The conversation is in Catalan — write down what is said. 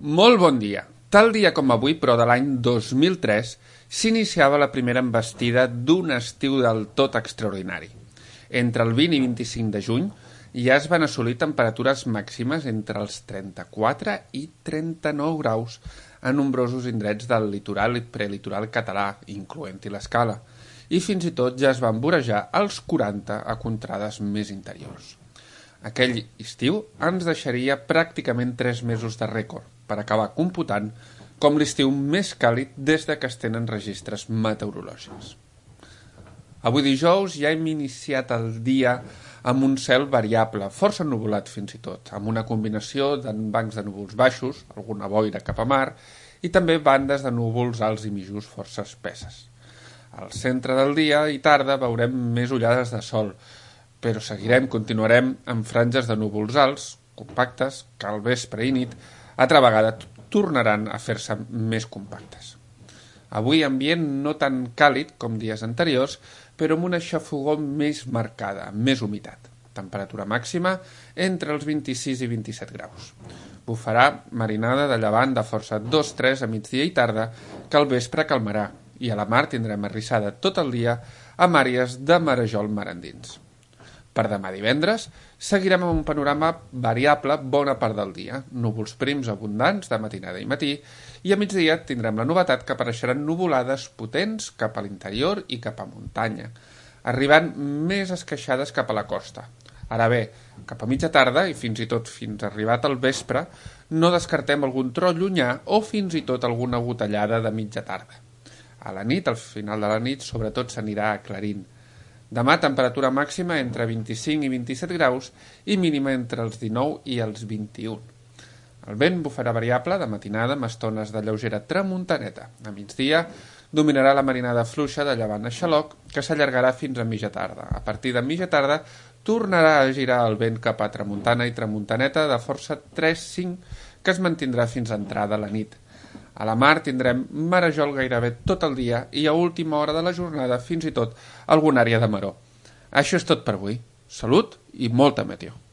Molt bon dia. Tal dia com avui, però de l'any 2003, s'iniciava la primera envestida d'un estiu del tot extraordinari. Entre el 20 i 25 de juny ja es van assolir temperatures màximes entre els 34 i 39 graus a nombrosos indrets del litoral i prelitoral català, incloent-hi l'Escala, i fins i tot ja es van vorejar els 40 a contrades més interiors. Aquell estiu ens deixaria pràcticament 3 mesos de rècord, per acabar computant com l'estiu més càlid des de que es tenen registres meteorològics. Avui dijous ja hem iniciat el dia amb un cel variable, força ennuvolat fins i tot, amb una combinació de bancs de núvols baixos, alguna boira cap a mar, i també bandes de núvols alts i mitjos força espesses. Al centre del dia i tarda veurem més ullades de sol, però continuarem amb franges de núvols alts, compactes, que al vespre i nit altra vegada tornaran a fer-se més compactes. Avui ambient no tan càlid com dies anteriors, però amb una xafogor més marcada, més humitat. Temperatura màxima entre els 26 i 27 graus. Bufarà marinada de llevant de força 2-3 a migdia i tarda, que al vespre calmarà, i a la mar tindrem arrissada tot el dia amb àrees de marejol mar endins. Per demà divendres seguirem amb un panorama variable bona part del dia, núvols prims abundants de matinada i matí, i a migdia tindrem la novetat que apareixeran nuvolades potents cap a l'interior i cap a muntanya, arribant més esqueixades cap a la costa. Ara bé, cap a mitja tarda i fins i tot fins arribat al vespre, no descartem algun tro llunyà o fins i tot alguna gotellada de mitja tarda. A la nit, al final de la nit, sobretot s'anirà aclarint. Demà, temperatura màxima entre 25 i 27 graus i mínima entre els 19 i els 21. El vent bufarà variable de matinada amb estones de lleugera tramuntaneta. A migdia dominarà la marinada fluixa de llevant a xaloc que s'allargarà fins a mitja tarda. A partir de mitja tarda tornarà a girar el vent cap a tramuntana i tramuntaneta de força 3-5 que es mantindrà fins a entrada la nit. A la mar tindrem marejol gairebé tot el dia i a última hora de la jornada fins i tot alguna àrea de maror. Això és tot per avui. Salut i molta meteo.